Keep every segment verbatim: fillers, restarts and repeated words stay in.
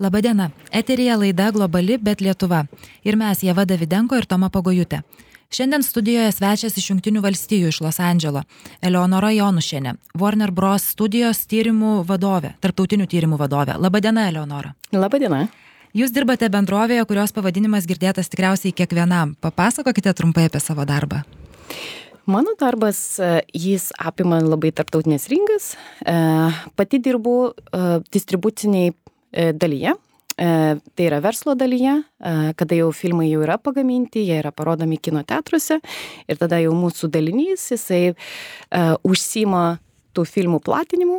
Labadiena, eteryje laida Globali, bet Lietuva. Ir mes, Ieva Davidenko ir Toma Pagojutė. Šiandien studijoje svečias iš Jungtinių valstijų iš Los Andželo, Eleonora Jonušienė, Warner Bros. Studijos tyrimų vadovė, tarptautinių tyrimų vadovė. Labadiena, Eleonora. Labadiena. Jūs dirbate bendrovėje, kurios pavadinimas girdėtas tikriausiai kiekvienam. Papasakokite trumpai apie savo darbą. Mano darbas, jis apima labai tarptautinės rinkas. Pati dirbu distribuciniai dalyje, tai yra verslo dalyje, kada jau filmai jau yra pagaminti, jie yra parodomi kino teatruose ir tada jau mūsų dalinys, jisai užsima tų filmų platinimu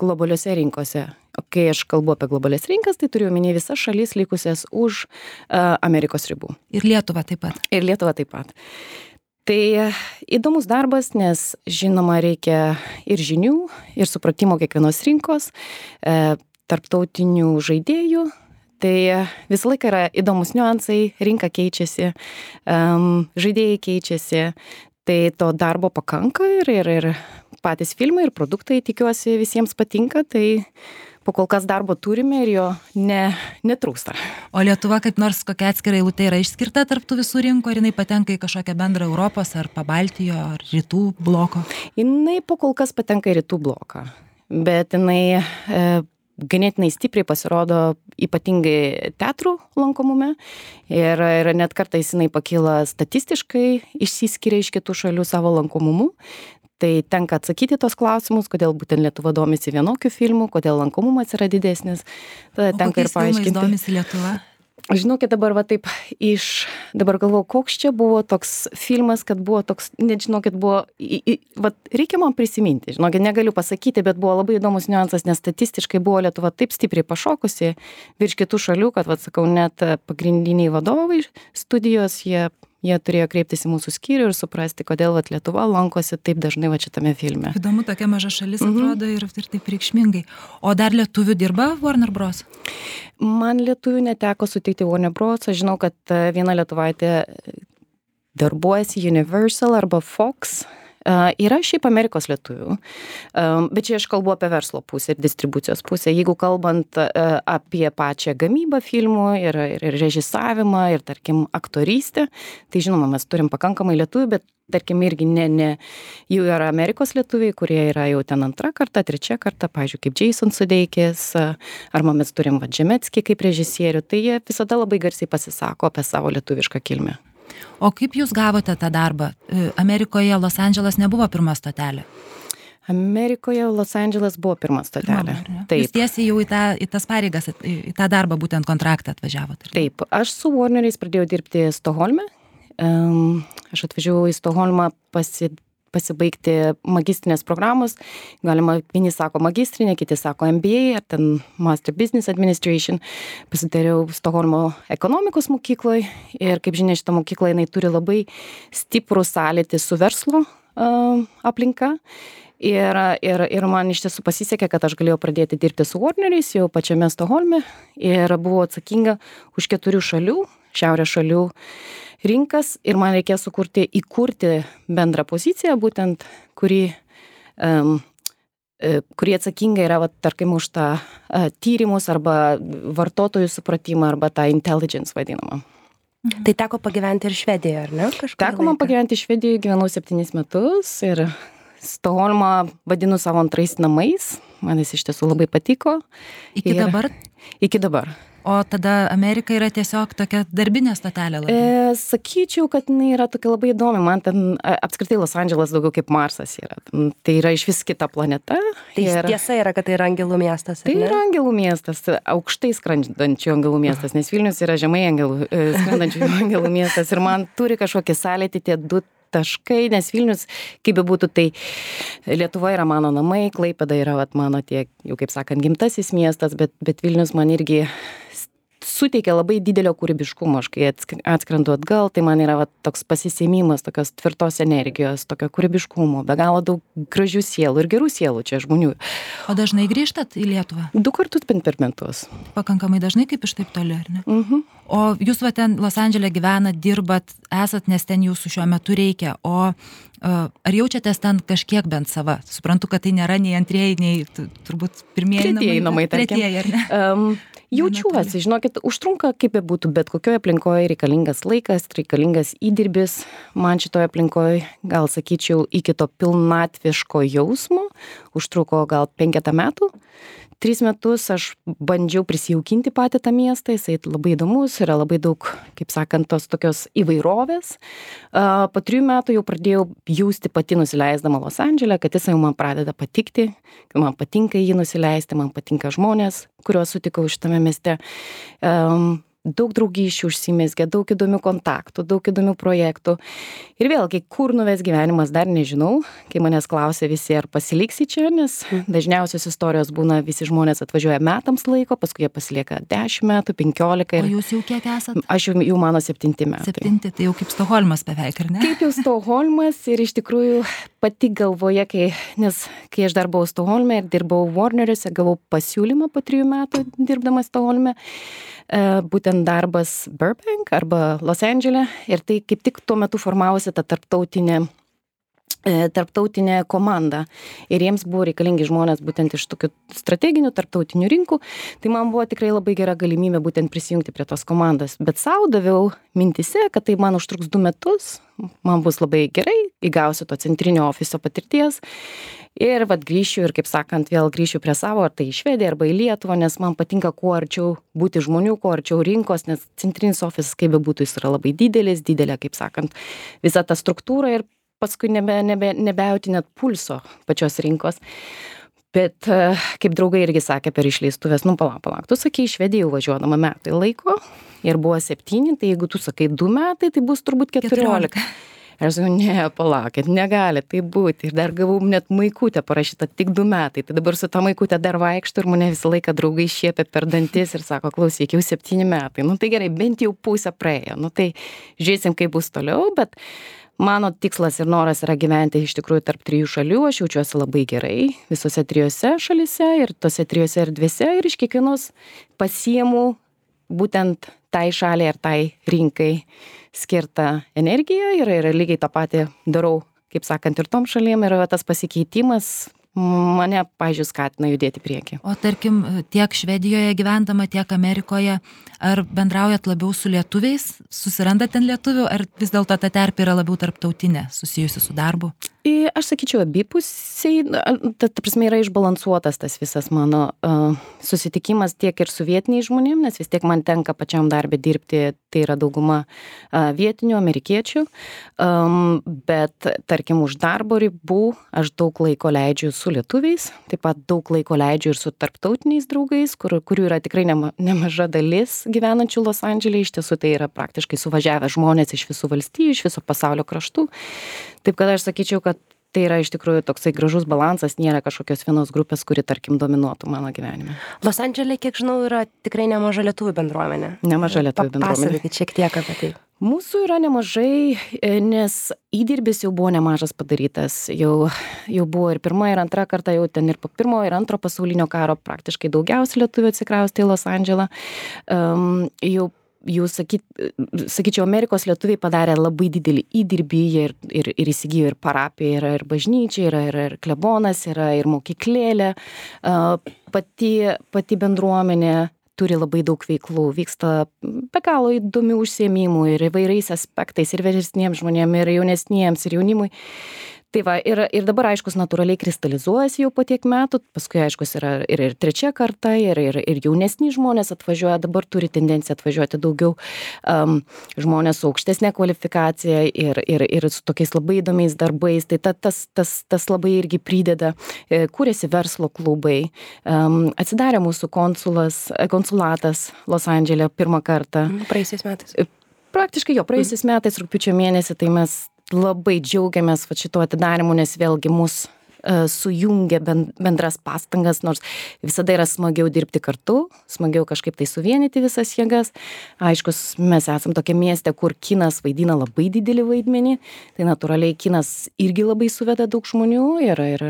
globaliuose rinkose. Kai aš kalbu apie globalias rinkas, tai turiu omeny visas šalis likusias už Amerikos ribų. Ir Lietuva taip pat. Ir Lietuva taip pat. Tai įdomus darbas, nes žinoma reikia ir žinių, ir supratimo kiekvienos rinkos, e, tarptautinių žaidėjų. Tai visą laiką yra įdomus niuansai, rinka keičiasi, um, žaidėjai keičiasi. Tai to darbo pakanka ir, ir, ir patys filmai ir produktai, tikiuosi, visiems patinka. Tai po kol kas darbo turime ir jo ne, netrūksta. O Lietuva kaip nors kokia atskira eilutė yra išskirta tarp tų visų rinkų, ar jinai patenka į kažkokią bendrą Europos ar Pabaltijo ar Rytų bloko? Jinai po kol kas patenka į Rytų bloką, bet jinai e, ganėtinai stipriai pasirodo ypatingai teatrų lankomume ir, ir net kartais jinai pakyla statistiškai, išsiskiria iš kitų šalių savo lankomumu. Tai tenka atsakyti tos klausimus, kodėl būtent Lietuva domisi vienokių filmų, kodėl lankomumas yra didesnis. Tada o tenka ir paaiškinti. Kokiais filmais domisi Lietuva? Žinokit, dabar va taip iš, dabar galvoju, koks čia buvo toks filmas, kad buvo toks, net žinokit, buvo, į, į, va reikia man prisiminti, žinokit, negaliu pasakyti, bet buvo labai įdomus niuansas, nes statistiškai buvo Lietuva taip stipriai pašokusi virš kitų šalių, kad, va sakau, net pagrindiniai vadovai studijos, jie Jie turėjo kreiptis į mūsų skyrių ir suprasti, kodėl vat, Lietuva lankosi taip dažnai vat, šitame filme. Įdomu, tokia maža šalis atrodo mm-hmm. ir, ir taip reikšmingai. O dar lietuvių dirba Warner Bros? Man lietuvių neteko sutikti Warner Bros. Aš žinau, kad viena lietuvaitė darbuojasi Universal arba Fox. Uh, yra šiaip Amerikos lietuvių, um, bet čia aš kalbu apie verslo pusę ir distribucijos pusę. Jeigu kalbant uh, apie pačią gamybą filmų ir, ir, ir režisavimą ir, tarkim, aktorystę, tai žinoma, mes turim pakankamai lietuvių, bet, tarkim, irgi ne, ne, jų yra Amerikos lietuviai, kurie yra jau ten antrą kartą, trečią kartą, pavyzdžiui, kaip Jason Sudeikis, arba mes turim Vadžemetskį kaip režisierių, tai jie visada labai garsiai pasisako apie savo lietuvišką kilmę. O kaip jūs gavote tą darbą? Amerikoje Los Andželas nebuvo pirma stotelė? Amerikoje Los Andželas buvo pirma stotelė. Pirma, taip. Jūs tiesiai jau į, tą, į tas pareigas, į tą darbą būtent kontraktą atvažiavote? Taip, aš su Warneriais pradėjau dirbti Stokholme. Um, aš atvažiavau į Stokholmą pasi, pasibaigti magistrinės programos. Galima, vieni sako magistrinė, kiti sako M B A ar ten Master Business Administration. Pasidariau Stokholmo ekonomikos mokykloje ir, kaip žinia, šitą mokyklą jinai turi labai stiprų sąlytį su verslo uh, aplinka. Ir, ir, ir man iš tiesų pasisekė, kad aš galėjau pradėti dirbti su Warneriais jau pačiame Stokholme ir buvau atsakinga už keturių šalių, šiaurės šalių rinkas ir man reikėjo sukurti, įkurti bendrą poziciją, būtent, kuri, um, kuri atsakinga yra, va, tarkim, už tą uh, tyrimus arba vartotojų supratimą arba tą intelligence vadinamą. Mhm. Tai teko pagyventi ir Švedijoje, ar ne? Kažkur teko man pagyventi Švedijoje, gyvenau septynis metus ir Stokholmą vadinu savo antrais namais. Man jis iš tiesų labai patiko. Iki ir, dabar? Iki dabar. O tada Amerika yra tiesiog tokia darbinė stotelė? E, sakyčiau, kad jinai yra tokia labai įdomi. Man ten apskritai Los Andželas daugiau kaip Marsas yra. Tai yra iš vis kita planeta. Tai ir... tiesa yra, kad tai yra angelų miestas, ar tai ne? Tai yra angelų miestas, aukštai skrendančių angelų miestas, nes Vilnius yra žemai angelų, skrendančių angelų miestas. Ir man turi kažkokį sąlytį tie du taškai, nes Vilnius, kaip be būtų, tai Lietuva yra mano namai, Klaipėda yra vat, mano tiek, jau kaip sakant, gimtasis miestas, bet, bet Vilnius man irgi suteikia labai didelio kūrybiškumo. Aš kai atskrendu atgal, tai man yra va, toks pasisėmimas, tokios tvirtos energijos, tokio kūrybiškumo, be galo daug gražių sielų ir gerų sielų čia žmonių. O dažnai grįžtat į Lietuvą? Du kartus per metus. Pakankamai dažnai, kaip iš taip toli, ar ne? Mhm. O jūs va ten Los Andžele gyvenat, dirbat, esat, nes ten jūsų šiuo metu reikia. O ar jaučiatės ten kažkiek bent sava? Suprantu, kad tai nėra nei antrieji, nei turbūt pirmieji tretieji namai, namai tretieji, ar ne? Um, Jaučiuosi, žinokit, užtrunka kaip bebūtų, bet kokioje aplinkoje reikalingas laikas, reikalingas įdirbis. Man šitoje aplinkoje, gal sakyčiau, iki to pilnatviško jausmo užtruko gal penketą metų. Tris metus aš bandžiau prisijaukinti patį tą miestą, jisai labai įdomus, yra labai daug, kaip sakant, tos tokios įvairovės. Po trijų metų jau pradėjau jausti pati nusileisdama Los Andžele, kad jisai man pradeda patikti, kad man patinka jį nusileisti, man patinka žmonės, kuriuos sutikau šitame mieste. Um, daug draugysčių užsimezgė, daug įdomių kontaktų, daug įdomių projektų. Ir vėlgi, kur nuves gyvenimas, dar nežinau. Kai manęs klausia visi, ar pasiliksi čia, nes dažniausios istorijos būna, visi žmonės atvažiuoja metams laiko, paskui jie pasilieka dešimt metų, penkiolika. Ir... O jūs jau kiek esat? Aš jau, jau mano septinti metai. Septinti, tai jau kaip Stokholmas beveik, ar ne? Kaip jau Stokholmas ir iš tikrųjų pati galvoje, kai, nes kai aš dar buvau Stokholme ir dirbau Warneriuose, gavau pasiūlymą po trijų metų dirbdama Stokholme. Būtent darbas Burbank arba Los Andžele ir tai kaip tik tuo metu formavosi ta tarptautinė, tarptautinė komanda ir jiems buvo reikalingi žmonės būtent iš tokių strateginių tarptautinių rinkų, tai man buvo tikrai labai gera galimybė būtent prisijungti prie tos komandos, bet sau daviau mintise, kad tai man užtruks du metus, man bus labai gerai, įgausiu to centrinio ofiso patirties. Ir vat grįšiu ir, kaip sakant, vėl grįšiu prie savo, ar tai į Švediją, arba į Lietuvą, nes man patinka kuo arčiau būti žmonių, kuo arčiau rinkos, nes centrinis ofisas, kaip bebūtų, jis yra labai didelis, didelė, kaip sakant, visa ta struktūra ir paskui nebe, nebe, nebejauti net pulso pačios rinkos. Bet kaip draugai irgi sakė per išleistuvės, nu palauk, palauk, tu sakei, į Švediją važiuodama metai laiko ir buvo septyni, tai jeigu tu sakai du metai, tai bus turbūt keturiolika. Ir aš sakau, ne, palaukit, negali tai būti. Ir dar gavau net maikutę parašytą tik du metai. Tai dabar su ta maikutė dar vaikštų ir mane visą laiką draugai šiepia per dantis ir sako, klausyk, jau septyni metai. Nu tai gerai, bent jau pusę praėjo. Nu tai žiūrėsim, kaip bus toliau, bet mano tikslas ir noras yra gyventi iš tikrųjų tarp trijų šalių. Aš jaučiuosi labai gerai visose trijose šalyse ir tose trijose erdvėse ir iš kiekvienos pasiimu būtent tai šaliai ar tai rinkai skirtą energiją ir, ir lygiai tą patį darau, kaip sakant, ir tom šalim ir tas pasikeitimas mane, pavyzdžiui, skatina judėti priekį. O tarkim, tiek Švedijoje gyvendama, tiek Amerikoje, ar bendraujat labiau su lietuviais, susirandat ten lietuvių, ar vis dėlto ta terpė yra labiau tarptautinė, susijusi su darbu? Aš sakyčiau, abipusiai, ta, ta prasme yra išbalansuotas tas visas mano uh, susitikimas tiek ir su vietiniais žmonėm, nes vis tiek man tenka pačiam darbę dirbti, tai yra dauguma uh, vietinių amerikiečių, um, bet tarkim už darbo ribų aš daug laiko leidžiu su lietuviais, taip pat daug laiko leidžiu ir su tarptautiniais draugais, kur, kurių yra tikrai nema, nemaža dalis gyvenančių Los Andžele, iš tiesų tai yra praktiškai suvažiavę žmonės iš visų valstijų, iš viso pasaulio kraštų. Taip kad aš sakyčiau, kad tai yra iš tikrųjų toksai gražus balansas, nėra kažkokios vienos grupės, kuri, tarkim, dominuotų mano gyvenime. Los Andžele, kiek žinau, yra tikrai nemaža lietuvių bendruomenė. Nemaža lietuvių bendruomenė. Papasakokit šiek tiek apie tai. Mūsų yra nemažai, nes įdirbis jau buvo nemažas padarytas. Jau, jau buvo ir pirma, ir antra karta, jau ten ir po pirmo, ir antro pasaulinio karo praktiškai daugiausiai lietuvių atsikraustė į Los Andželą. Um, jau Jūs sakyt, sakyčiau, Amerikos lietuviai padarė labai didelį įdirbį ir, ir, ir įsigijo ir parapiją, yra ir bažnyčia, yra ir, ir klebonas, yra ir mokyklėlė. Pati, pati bendruomenė turi labai daug veiklų, vyksta be galo įdomių užsiėmimų ir įvairiais aspektais, ir vyresniems žmonėms, ir jaunesniems, ir jaunimui. Tai va, ir, ir dabar, aiškus, natūraliai kristalizuojasi jau po tiek metų, paskui, aiškus, yra ir, ir trečia karta, ir, ir, ir jaunesni žmonės atvažiuoja, dabar turi tendenciją atvažiuoti daugiau um, žmonės su aukštesnė kvalifikacija ir, ir, ir su tokiais labai įdomiais darbais, tai ta, tas, tas, tas labai irgi prideda, kūrėsi verslo klubai, um, atsidarė mūsų konsulas, konsulatas Los Andžele pirmą kartą. Praėjusiais metais. Praktiškai jo, praėjusiais metais, rugpjūčio mėnesį, tai mes labai džiaugiamės va šituo atidarimu, nes vėlgi mus uh, sujungia bendras pastangas, nors visada yra smagiau dirbti kartu, smagiau kažkaip tai suvienyti visas jėgas. Aiškus, mes esam tokia mieste, kur kinas vaidina labai didelį vaidmenį, tai natūraliai kinas irgi labai suveda daug žmonių ir, ir,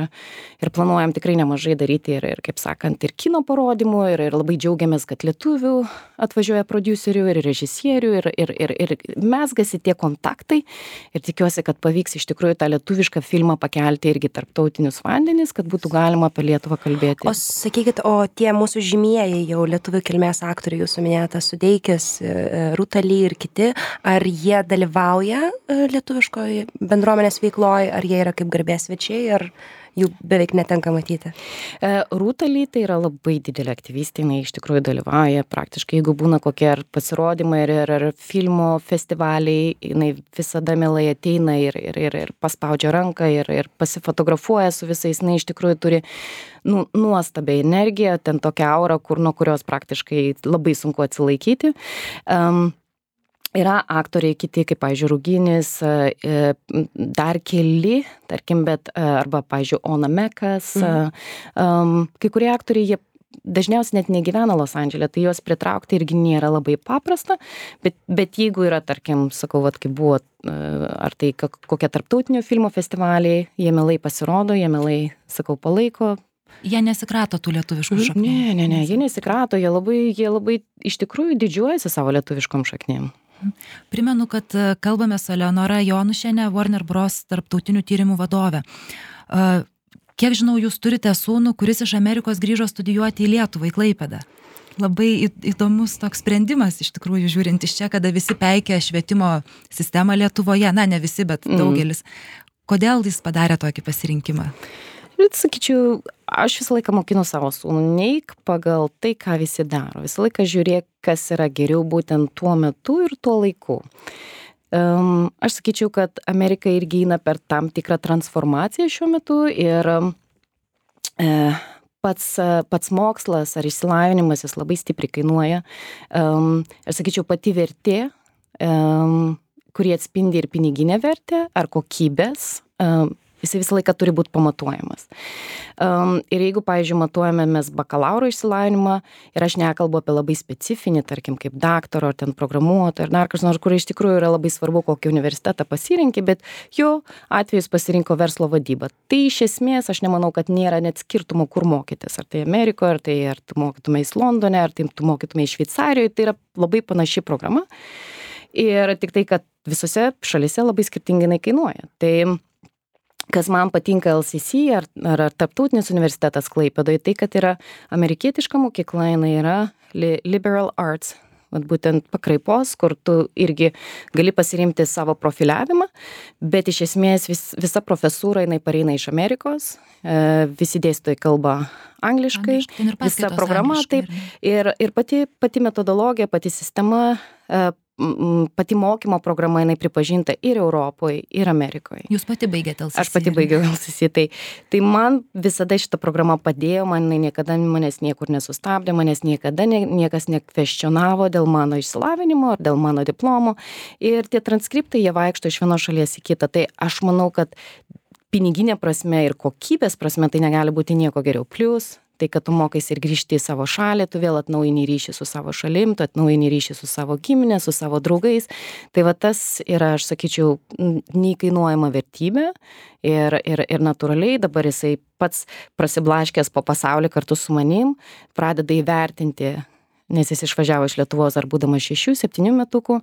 ir planuojam tikrai nemažai daryti ir, ir kaip sakant, ir kino parodymų, ir, ir labai džiaugiamės, kad lietuvių atvažiuoja prodiuserių ir režisierių ir, ir, ir, ir mesgasi tie kontaktai ir tikiuosi, kad pavyks iš tikrųjų tą lietuvišką filmą pakelti irgi tarptautiniu tarptautinius vandenis, kad būtų galima apie Lietuvą kalbėti. O sakykit, o tie mūsų žymieji jau lietuvių kilmės aktoriai, jūsų minėtas Sudeikis, Rūta Lee ir kiti, ar jie dalyvauja lietuviškoje bendruomenės veikloje, ar jie yra kaip garbės svečiai, ar jų beveik netenka matyti? Rūta Lee tai yra labai didelė aktyvistė, jinai iš tikrųjų dalyvauja praktiškai, jeigu būna kokie ar pasirodymai ir, ir, ir filmo festivaliai, jinai visada mielai ateina ir, ir, ir, ir paspaudžia ranką ir, ir pasifotografuoja su visais, jinai iš tikrųjų turi nu, nuostabią energiją, ten tokia aura, kur, nuo kurios praktiškai labai sunku atsilaikyti. Um, Yra aktoriai kiti, kaip, pavyzdžiui, Ruginis, dar keli, tarkim, bet, arba, pavyzdžiui, Ona Mekas. Mhm. Um, kai kurie aktoriai, jie dažniausiai net negyvena Los Andžele, tai juos pritraukti irgi nėra labai paprasta, bet, bet jeigu yra, tarkim, sakau, vat, kaip buvo, ar tai kokie tarptautinių filmų festivaliai, jie mielai pasirodo, jie mielai, sakau, palaiko. Jie nesikrato tų lietuviškų šaknų? Ne, ne, ne, jie nesikrato, jie labai, jie labai iš tikrųjų didžiuojasi savo lietuviškom šaknim. Primenu, kad kalbame su Eleonora Jonušienė, Warner Bros. Tarptautinių tyrimų vadovė. Kiek žinau, jūs turite sūnų, kuris iš Amerikos grįžo studijuoti į Lietuvą, į Klaipėdą. Labai įdomus toks sprendimas, iš tikrųjų, žiūrint iš čia, kada visi peikia švietimo sistemą Lietuvoje, na, ne visi, bet daugelis. Kodėl jis padarė tokį pasirinkimą? Bet sakyčiau, aš visą laiką mokinu savo sūnų, neik pagal tai, ką visi daro. Visą laiką žiūrėk, kas yra geriau būtent tuo metu ir tuo laiku. Um, aš sakyčiau, kad Amerika irgi eina per tam tikrą transformaciją šiuo metu ir um, pats, pats mokslas ar išsilavinimas jis labai stipriai kainuoja. Um, aš sakyčiau, pati vertė, um, kuri atspindi ir piniginę vertę ar kokybės, um, jisai visą laiką turi būti pamatuojamas. Um, ir jeigu, pavyzdžiui, matuojame mes bakalauro išsilavinimą, ir aš nekalbu apie labai specifinį, tarkim, kaip daktaro, ar ten programuotojo, ar dar kas nors, kur iš tikrųjų yra labai svarbu, kokį universitetą pasirinki, bet jo atvejus pasirinko verslo vadybą. Tai iš esmės, aš nemanau, kad nėra net skirtumų, kur mokytis. Ar tai Amerikoje, ar tai ar tu mokytumės Londone, ar tai tu mokytumės Šveicarijoje, tai yra labai panaši programa. Ir tik tai, kad visose šalise labai skirtingai jinai kainuoja. Tai kas man patinka L C C ar, ar, ar tarptautinis universitetas Klaipėdoje, tai kad yra amerikietiška mokykla, jinai yra liberal arts, vat būtent pakraipos, kur tu irgi gali pasirinkti savo profiliavimą, bet iš esmės vis, visa profesūra jinai pareina iš Amerikos, visi dėstytojai kalba angliškai, angliškai visa programa, taip, ir, ir pati, pati metodologija, pati sistema, pati mokymo programa, jinai pripažinta ir Europoje, ir Amerikoje. Jūs pati baigėte L C C? Aš pati baigiau L C C, tai, tai man visada šita programa padėjo, man niekada manęs niekur nesustabdė, manęs niekada nie, niekas nekvestionavo dėl mano išsilavinimo ar dėl mano diplomo. Ir tie transkriptai, jie vaikšto iš vienos šalies į kitą. Tai aš manau, kad piniginė prasme ir kokybės prasme tai negali būti nieko geriau. Plius tai, kad tu mokais ir grįžti į savo šalį, tu vėl atnaujini ryšį su savo šalim, tu atnaujini ryšį su savo giminė, su savo draugais. Tai va tas yra, aš sakyčiau, neįkainuojama vertybė ir, ir, ir natūraliai dabar jisai pats prasiblaškęs po pasaulį kartu su manim pradeda įvertinti, nes jis išvažiavo iš Lietuvos ar būdamas šešių, septynių metukų,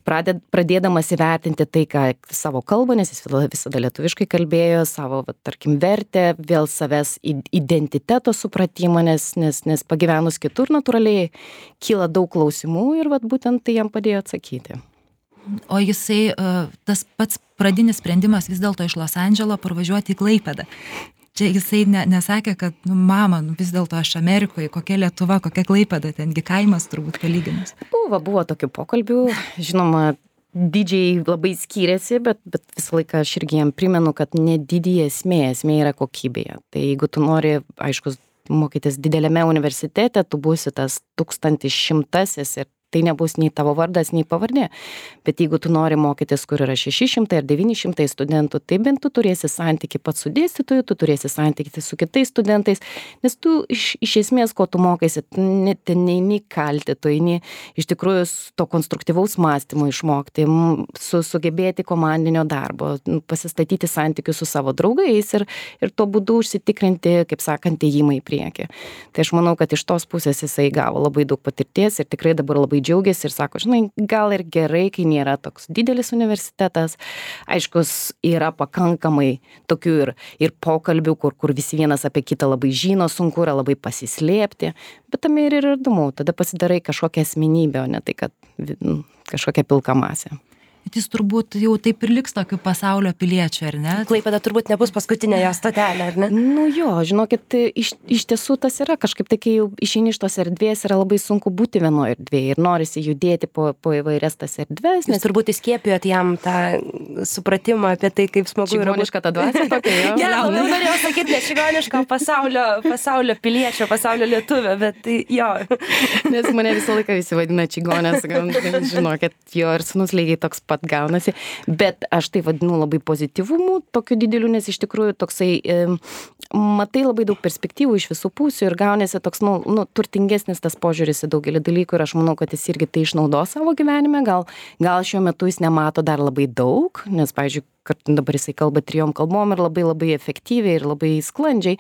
praded, pradėdamas įvertinti tai, ką savo kalbą, nes jis visada lietuviškai kalbėjo, savo, va, tarkim, vertę, vėl savęs identiteto supratimą, nes, nes, nes pagyvenus kitur natūraliai kyla daug klausimų ir va, būtent tai jam padėjo atsakyti. O jisai, tas pats pradinis sprendimas vis dėlto iš Los Andželo parvažiuoti į Klaipėdą. Čia jisai ne, nesakė, kad, nu, mama, nu, vis dėlto aš Amerikoje, kokia Lietuva, kokia Klaipėda, tengi kaimas turbūt palyginus. Buvo, buvo tokių pokalbių, žinoma, dydžiai labai skiriasi, bet, bet visą laiką aš irgi jam primenu, kad ne didį esmė, esmė yra kokybėje. Tai jeigu tu nori, aišku, mokytis dideliame universitete, tu būsi tas tūkstantis šimtasis ir tai nebus nei tavo vardas, nei pavardė. Bet jeigu tu nori mokytis, kur yra šeši šimtai ar devyni šimtai studentų, tai bent tu turėsi santykį pats su dėstytoju, tu turėsi santykį su kitais studentais, nes tu iš, iš esmės, ko tu mokaisi, net neini kalti, tu eini iš tikrųjų to konstruktyvaus mąstymo išmokti, su, sugebėti komandinio darbo, pasistatyti santykius su savo draugais ir, ir tuo būdu užsitikrinti, kaip sakant, ėjimą į priekį. Tai aš manau, kad iš tos pusės jisai gavo labai daug patirties ir tikrai dabar labai labai džiaugiasi ir sako, žinai, gal ir gerai, kai nėra toks didelis universitetas. Aiškus, yra pakankamai tokių ir, ir pokalbių, kur, kur visi vienas apie kitą labai žino, sunku yra labai pasislėpti, bet tame ir yra įdomu. Tada pasidarai kažkokią asmenybę, o ne tai, kad nu, kažkokia pilka masė. Jis turbūt jau taip ir liks tokiu pasaulio piliečiu, ar ne? Klaipėda turbūt nebus paskutinė jo stotelė, ar ne? Nu jo, žinokit, iš, iš tiesų tas yra kažkaip tai, kai jau išeini iš tos erdvės, yra labai sunku būti vienoje erdvėje ir norisi judėti po, po įvairias tas erdvės. Nes turbūt įskiepijot jam tą supratimą apie tai, kaip smagu yra. Čigoniška ta dvasia tokia, jo. Ja, labiau norėjau sakyti, ne čigoniška, pasaulio, pasaulio piliečio, pasaulio lietuvio, bet tai jo. Nes mane visą laiką visi vadina čigonės, žinokit, jo ir sūnus lygiai toks pat gaunasi, bet aš tai vadinu labai pozityvumu, tokiu dideliu, nes iš tikrųjų toksai, e, matai labai daug perspektyvų iš visų pusių ir gaunasi toks, nu, nu, turtingesnis tas požiūris į daugelį dalykų ir aš manau, kad jis irgi tai išnaudos savo gyvenime, gal, gal šiuo metu jis nemato dar labai daug, nes, pavyzdžiui, kad dabar jisai kalba trijom kalbom ir labai labai efektyviai ir labai sklandžiai.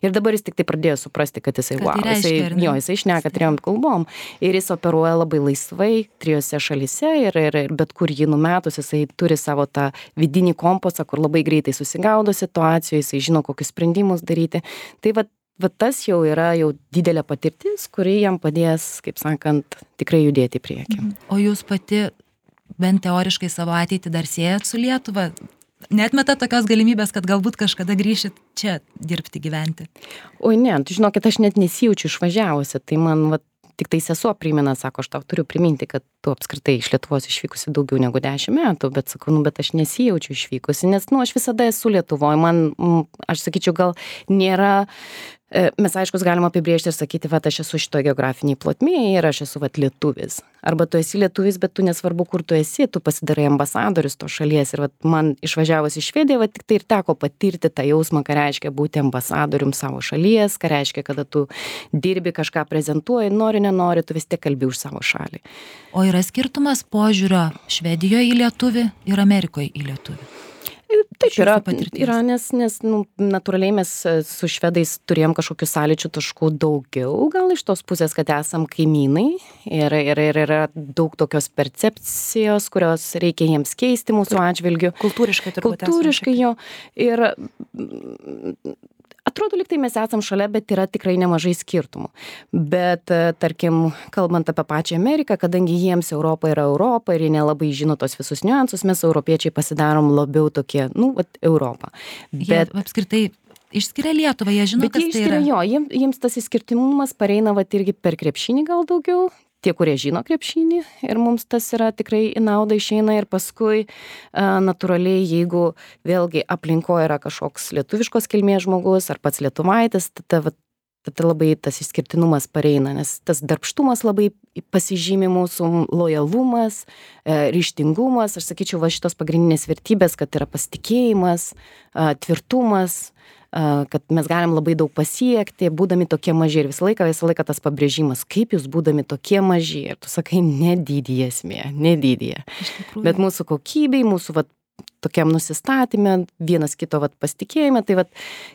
Ir dabar jis tik tai pradėjo suprasti, kad jisai, kad wow, tai reiškia, jisai, jo, jisai šneka trijom kalbom. Ir jis operuoja labai laisvai trijose šalyse ir, ir, ir bet kur jį numetus, jisai turi savo tą vidinį kompasą, kur labai greitai susigaudo situacijoje, jisai žino, kokius sprendimus daryti. Tai va, va tas jau yra jau didelė patirtis, kuri jam padės, kaip sakant, tikrai judėti į priekį. O jūs pati bent teoriškai savo ateitį dar siejat su Lietuva? Neatmeta tokios galimybės, kad galbūt kažkada grįšit čia dirbti, gyventi? Oi ne, tu žinokit, aš net nesijaučiu išvažiavusi, tai man va, tik tai sesuo primena, sako, aš tau turiu priminti, kad tu apskritai iš Lietuvos išvykusi daugiau negu dešimt metų, bet sakau, nu, bet aš nesijaučiu išvykusi, nes, nu, aš visada esu Lietuvoje, man, aš sakyčiau, gal nėra, mes aiškus galim apibrėžti ir sakyti, va, aš esu šitoje geografiniai plotmėje ir aš esu, va, lietuvis. Arba tu esi lietuvis, bet tu nesvarbu, kur tu esi, tu pasidarai ambasadorius to šalies. Ir va, man išvažiavus į Švediją, va, tik tai ir teko patirti tą jausmą, ką reiškia būti ambasadorium savo šalies, ką reiškia, kada tu dirbi, kažką prezentuoji, nori, nenori, tu vis tiek kalbi už savo šalį. O yra skirtumas požiūrio Švedijoje į lietuvį ir Amerikoje į lietuvį? Taip yra, yra nes, nes nu, natūraliai mes su švedais turėjom kažkokių sąlyčių taškų daugiau, gal iš tos pusės, kad esam kaimynai ir, ir, ir yra daug tokios percepcijos, kurios reikia jiems keisti mūsų atžvilgiu. Kultūriškai turbūt. Kultūriškai jo. Ir atrodo, lyg tai mes esam šalia, bet yra tikrai nemažai skirtumų. Bet, tarkim, kalbant apie pačią Ameriką, kadangi jiems Europa yra Europa ir jie nelabai žino tos visus niuansus, mes europiečiai pasidarom labiau tokie, nu, vat, Europą. Bet jie apskritai išskiria Lietuvą, jie žino, kas tai yra. Jo, jiems, jiems tas išskirtimumas pareina vat irgi per krepšinį gal daugiau. Tie, kurie žino krepšinį ir mums tas yra tikrai į naudą išeina ir paskui a, natūraliai, jeigu vėlgi aplinkoje yra kažkoks lietuviškos kilmės žmogus ar pats lietuvaitis, tada, tada labai tas išskirtinumas pareina, nes tas darbštumas labai pasižymi mūsų lojalumas, e, ryžtingumas, aš sakyčiau, va šitos pagrindinės vertybės, kad yra pasitikėjimas, a, tvirtumas, kad mes galim labai daug pasiekti, būdami tokie maži ir visą laiką, visą laiką tas pabrėžimas, kaip jūs būdami tokie maži ir tu sakai, nedidį esmė, nedidį. Bet mūsų kokybei, mūsų vat, tokiam nusistatymė, vienas kito vat, pasitikėjime, tai vat,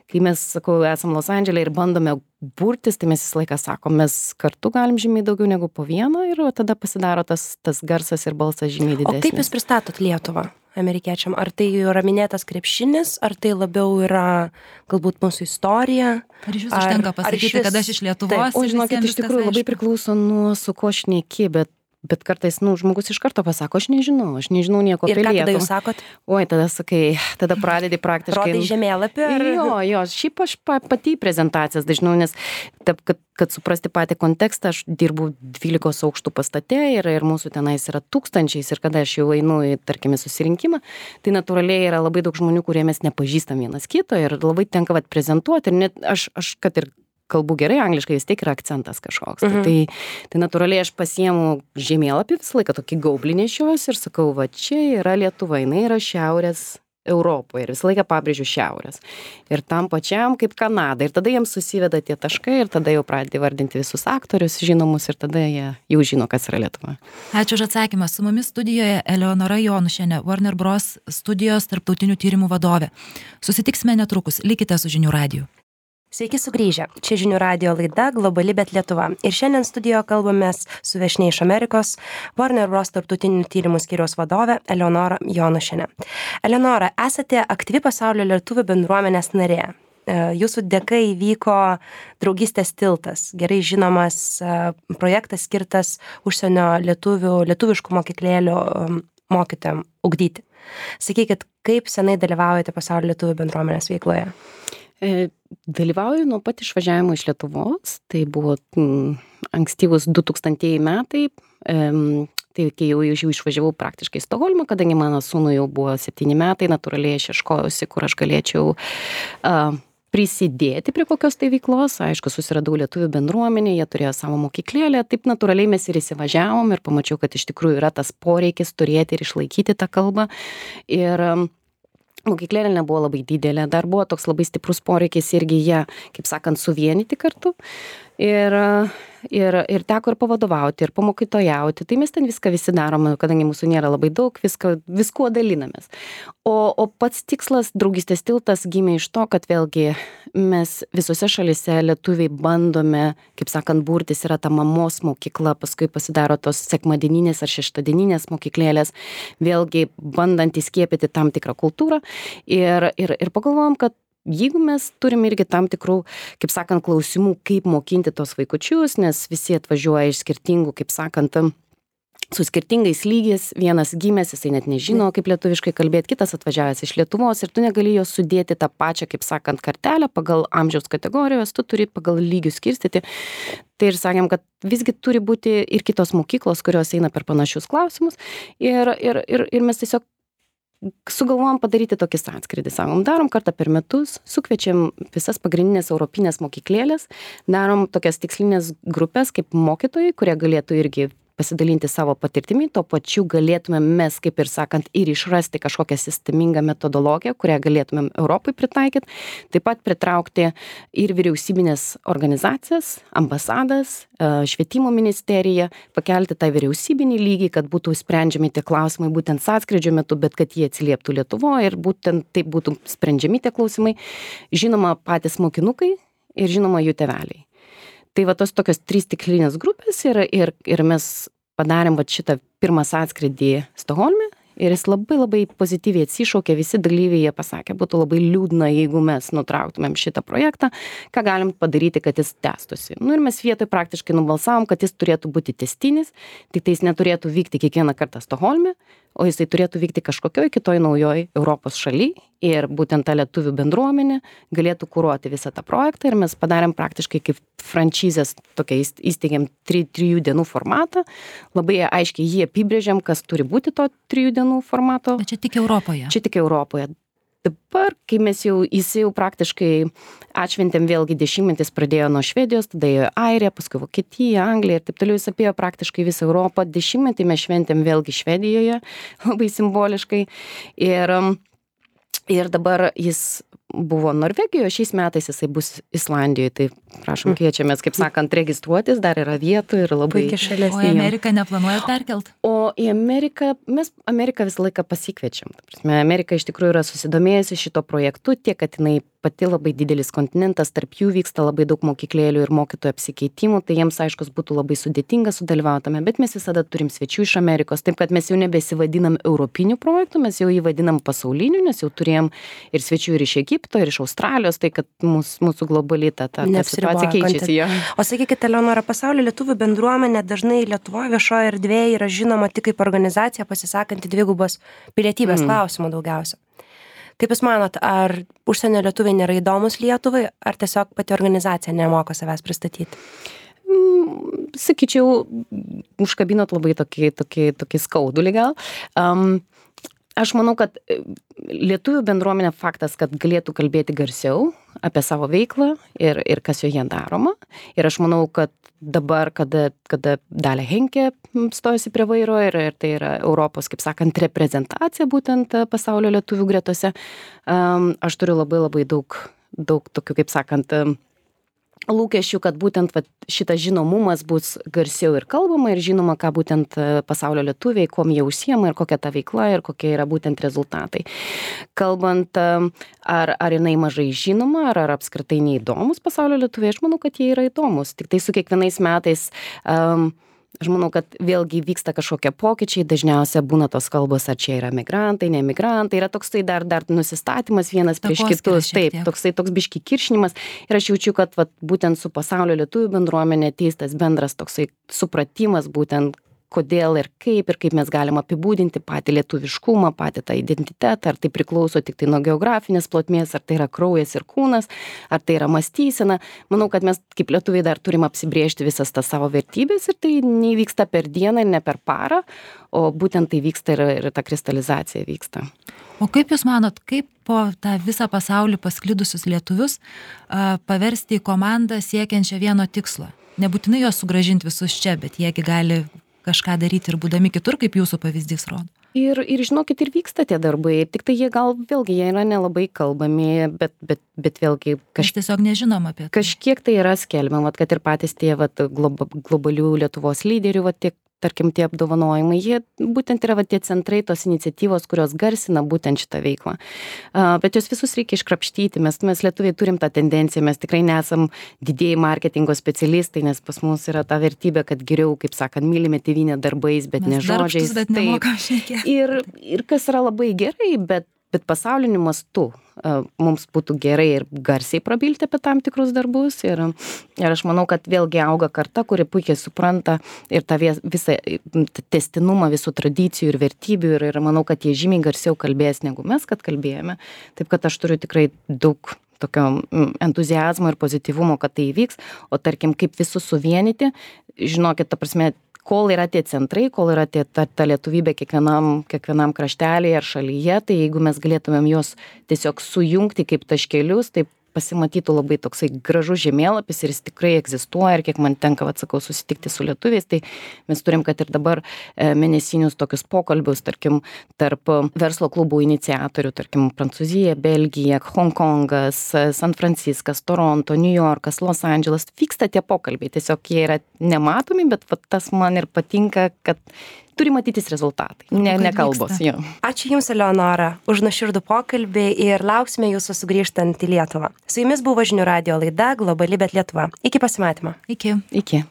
kai mes, sakau, esam Los Andžele ir bandome burtis, tai mes visą laiką sakom, mes kartu galim žymiai daugiau negu po vieną ir tada pasidaro tas, tas garsas ir balsas žymiai didesnis. O kaip jūs pristatot Lietuvą amerikiečiam? Ar tai yra minėtas krepšinis, ar tai labiau yra galbūt mūsų istorija? Ar iš vis užtenka pasakyti, vis... kad aš iš Lietuvos? O žinokit, iš tikrųjų labai priklauso nuo su ko šneki, bet Bet kartais, nu, žmogus iš karto pasako, aš nežinau, aš nežinau nieko apie Lietuvą. Ir ką tada jūs sakot? Oi, tada sakai, tada pradedi praktiškai. Rodai žemėlapį? Ar... Jo, jo, šiaip aš pati prezentacijas dažnau, nes taip, kad, kad suprasti patį kontekstą, aš dirbu dvylikos aukštų pastate ir, ir mūsų tenais yra tūkstančiais ir kada aš jau einu į, tarkime, susirinkimą, tai natūraliai yra labai daug žmonių, kurie mes nepažįstam vienas kito ir labai tenka vat prezentuoti ir net aš, aš kad ir kalbu gerai angliškai, vis tiek yra akcentas kažkoks. Mhm. Tai, tai natūraliai aš pasiemu žemėlapį visą laiką tokį gaublį nešiuosi ir sakau, va čia yra Lietuva, jinai yra šiaurės Europoje ir visą laiką pabrėžiu šiaurės. Ir tam pačiam kaip Kanada. Ir tada jiems susiveda tie taškai ir tada jau pradedi vardinti visus aktorius žinomus ir tada jie jau žino, kas yra Lietuva. Ačiū už atsakymą. Su mumis studijoje Eleonora Jonušienė, Warner Bros. Studijos tarptautinių tyrimų vadovė. Susitiksime netrukus. Likite su Žinių radiju. Sveiki sugrįžę. Čia žinių radio laida Globali, bet Lietuva. Ir šiandien studijoje kalbamės su viešnia iš Amerikos, Warner Bros. Tarptautinių tyrimų skyriaus vadove Eleonora Jonušiene. Eleonora, esate aktyvi pasaulio lietuvių bendruomenės narė. Jūsų dėka įvyko Draugystės tiltas, gerai žinomas projektas skirtas užsienio lietuvių, lietuviškų mokyklėlių mokytojam ugdyti. Sakykit, kaip senai dalyvaujate pasaulio lietuvių bendruomenės veikloje? Dalyvauju nuo pat išvažiavimo iš Lietuvos, tai buvo m, ankstyvus du tūkstantieji metai, um, tai kai jau, jau išvažiavau praktiškai į Stokholmą, kadangi mano sūnui jau buvo septyni metai, natūraliai aš ieškojausi, kur aš galėčiau uh, prisidėti prie kokios tai veiklos. Aišku, susiradau lietuvių bendruomenę, jie turėjo savo mokyklėlę, taip natūraliai mes ir įsivažiavom ir pamačiau, kad iš tikrųjų yra tas poreikis turėti ir išlaikyti tą kalbą. Ir um, mokyklėlė nebuvo labai didelė, dar buvo toks labai stiprus poreikis irgi ją, kaip sakant, suvienyti kartu. Ir, ir, ir teko ir pavadovauti, ir pamokytojauti. Tai mes ten viską visi darome, kadangi mūsų nėra labai daug, viską, viskuo dalinamės. O, o pats tikslas Draugystės tiltas gimė iš to, kad vėlgi mes visose šalyse lietuviai bandome, kaip sakant, burtis, yra ta mamos mokykla, paskui pasidaro tos sekmadieninės ar šeštadieninės mokyklėlės, vėlgi bandant įskiepyti tam tikrą kultūrą. Ir, ir, ir pagalvojom, kad jeigu mes turim irgi tam tikrų, kaip sakant, klausimų, kaip mokinti tos vaikučius, nes visi atvažiuoja iš skirtingų, kaip sakant, su skirtingais lygiais, vienas gimęs, jisai net nežino, kaip lietuviškai kalbėti, kitas atvažiavęs iš Lietuvos ir tu negali jos sudėti tą pačią, kaip sakant, kartelę pagal amžiaus kategorijos, tu turi pagal lygius skirstyti. Tai ir sakėm, kad visgi turi būti ir kitos mokyklos, kurios eina per panašius klausimus ir, ir, ir, ir mes tiesiog sugalvojom padaryti tokį sąskrydį. Sakom, darom kartą per metus, sukviečiam visas pagrindinės europinės mokyklėlės, darom tokias tikslinės grupės kaip mokytojai, kurie galėtų irgi pasidalinti savo patirtimi, to pačiu galėtumėm mes, kaip ir sakant, ir išrasti kažkokią sistemingą metodologiją, kurią galėtumėm Europai pritaikyti, taip pat pritraukti ir vyriausybinės organizacijas, ambasadas, švietimo ministeriją, pakelti tą vyriausybinį lygį, kad būtų sprendžiami tie klausimai būtent sąskrydžio metu, bet kad jie atsilieptų Lietuvoje ir būtent taip būtų sprendžiami tie klausimai. Žinoma, patys mokinukai ir žinoma jų tėveliai. Tai va tos tokios trys tikslinės grupės ir, ir, ir mes padarėm va šitą pirmą sąskrydį Stokholme ir jis labai labai pozityviai atsišaukė, visi dalyviai jie pasakė, būtų labai liūdna, jeigu mes nutrauktumėm šitą projektą, ką galim padaryti, kad jis tęstųsi. Nu ir mes vietoj praktiškai nubalsavom, kad jis turėtų būti tęstinis, tik tai jis neturėtų vykti kiekvieną kartą Stokholme, o jisai turėtų vykti kažkokioj kitoj naujoj Europos šaly ir būtent ta lietuvių bendruomenė galėtų kuruoti visą tą projektą ir mes padarėm praktiškai kaip frančizės, tokia įsteigėm tri, trijų dienų formatą, labai aiškiai jį apibrėžiam, kas turi būti to trijų dienų formato. Bet čia tik Europoje. Čia tik Europoje. Dabar, kai mes jau, jis jau praktiškai atšventėm vėlgi dešimtmetis pradėjo nuo Švedijos, tada ėjo Airija, paskui Vokietija, Anglija ir taip toliau jis apėjo praktiškai visą Europą. Dešimtmetį mes šventėm vėlgi Švedijoje, labai simboliškai. Ir, ir dabar jis buvo Norvegijoje, šiais metais jisai bus Islandijoje, tai prašom kviečiamės, kaip sakant, registruotis, dar yra vietų ir labai... šalis. O į Ameriką neplanuoja perkelt? O į Ameriką, mes Ameriką visą laiką pasikviečiam. Amerika iš tikrųjų yra susidomėjusi šito projektu, tiek, kad jinai pati labai didelis kontinentas, tarp jų vyksta labai daug mokyklėlių ir mokytojų apsikeitimų, tai jiems aiškus būtų labai sudėtinga sudalyvautame, bet mes visada turim svečių iš Amerikos, taip kad mes jau nebesivadinam europinių projektų, mes jau jį vadinam pasauliniu, nes jau turėjom ir svečių ir iš Egipto, ir iš Australijos, tai kad mūsų, mūsų globali ta, ta, ta situacija keičiasi. Ja. O sakykite, Eleonora, pasaulio lietuvių bendruomenė dažnai Lietuvoje viešoje erdvėje yra žinoma tik kaip organizacija pasisakanti dvigubos pilietybės mm. klausimų daugiausia. Kaip Jūs manot, ar užsienio lietuviai nėra įdomus Lietuvai, ar tiesiog pati organizacija nemoka savęs pristatyti? Mm, sakyčiau, užkabinot labai tokį, tokį, tokį skaudulį gal. Um, Aš manau, kad lietuvių bendruomenė faktas, kad galėtų kalbėti garsiau apie savo veiklą ir, ir kas joje daroma. Ir aš manau, kad dabar, kada, kada Dalia Henke stojasi prie vairo ir, ir tai yra Europos, kaip sakant, reprezentacija būtent pasaulio lietuvių gretose, um, aš turiu labai labai daug, daug tokių, kaip sakant, lūkesčių, kad būtent vat, šitas žinomumas bus garsiau ir kalbama ir žinoma, ką būtent pasaulio lietuviai, kuom jie užsiema ir kokia ta veikla ir kokie yra būtent rezultatai. Kalbant, ar, ar jinai mažai žinoma, ar, ar apskritai neįdomus pasaulio lietuviai, aš manau, kad jie yra įdomus. Tik tai su kiekvienais metais um, aš manau, kad vėlgi vyksta kažkokie pokyčiai, dažniausiai būna tos kalbos, ar čia yra migrantai, ne migrantai, yra toksai dar, dar nusistatymas vienas prieš kitus, taip, toksai toks biški kiršinimas ir aš jaučiu, kad vat, būtent su pasaulio lietuvių bendruomenė ateis tas bendras toksai supratimas būtent, kodėl ir kaip ir kaip mes galim apibūdinti patį lietuviškumą, patį tą identitetą, ar tai priklauso tik tai nuo geografinės plotmės, ar tai yra kraujas ir kūnas, ar tai yra mąstysena. Manau, kad mes kaip lietuviai dar turim apsibrėžti visas tas savo vertybės ir tai nevyksta per dieną ir ne per parą, o būtent tai vyksta ir, ir ta kristalizacija vyksta. O kaip Jūs manot, kaip po tą visą pasaulį pasklidusius lietuvius a, paversti į komandą siekiančią vieno tikslo? Nebūtinai juos sugrąžinti visus čia, bet jiegi gali kažką daryti ir būdami kitur, kaip jūsų pavyzdys rodo. Ir, ir žinokit, ir vyksta tie darbai, tik tai jie gal vėlgi, jie yra nelabai kalbami, bet, bet, bet vėlgi kaž... tiesiog nežinom apie tai. Kažkiek tai yra skelbiama, kad ir patys tie vat, globa, globalių Lietuvos lyderių, vat, tiek, tarkim, tie apdovanojimai, jie būtent yra vat, tie centrai, tos iniciatyvos, kurios garsina būtent šitą veiklą. Uh, bet jos visus reikia iškrapštyti, mes, mes lietuviai turim tą tendenciją, mes tikrai nesam didieji marketingo specialistai, nes pas mus yra ta vertybė, kad geriau, kaip sakant, mylime tėvynę darbais, bet mes ne žodžiais. Bet nemokam šnekėti. Ir, ir kas yra labai gerai, bet, bet pasauliniu mastu uh, mums būtų gerai ir garsiai prabilti apie tam tikrus darbus. Ir, ir aš manau, kad vėlgi auga karta, kuri puikiai supranta ir tą visą testinumą visų tradicijų ir vertybių. Ir, ir manau, kad jie žymiai garsiau kalbės, negu mes, kad kalbėjome. Taip, kad aš turiu tikrai daug tokio entuziazmo ir pozityvumo, kad tai įvyks. O tarkim, kaip visus suvienyti, žinokit, ta prasme, kol yra tie centrai, kol yra tie, ta, ta lietuvybė kiekvienam, kiekvienam kraštelėje ar šalyje, tai jeigu mes galėtumėm juos tiesiog sujungti kaip taškelius, tai pasimatytų labai toksai gražus žemėlapis ir jis tikrai egzistuoja ir kiek man tenka, atsakau, susitikti su lietuviais, tai mes turim, kad ir dabar mėnesinius tokius pokalbius, tarkim, tarp verslo klubų iniciatorių, tarkim, Prancūzija, Belgija, Hongkongas, San Franciskas, Toronto, New Yorkas, Los Andželas, vyksta tie pokalbiai, tiesiog jie yra nematomi, bet va, tas man ir patinka, kad turi matytis rezultatai, ne, ne kalbos. Jo. Ačiū Jums, Eleonora, už nuoširdų pokalbį ir lauksime Jūsų sugrįžtant į Lietuvą. Su Jumis buvo Žinių radijo laida Globali, bet Lietuva. Iki pasimatymo. Iki. Iki.